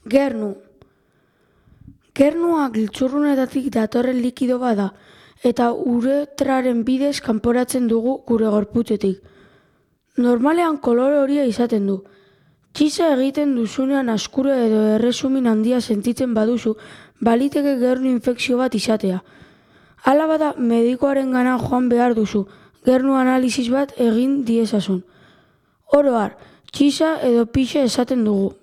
Gernu. Gernua giltzurrunetatik datorren likido bada eta uretraren bidez kanporatzen dugu gure gorputzetik. Normalean kolore horia izaten du. Txiza egiten duzunean askure edo erresumin handia sentitzen baduzu, baliteke gernu infekzio bat izatea. Hala bada medikoarengana joan behar duzu, gernu analisis bat egin diezazun. Oro har, txiza edo pixa esaten dugu.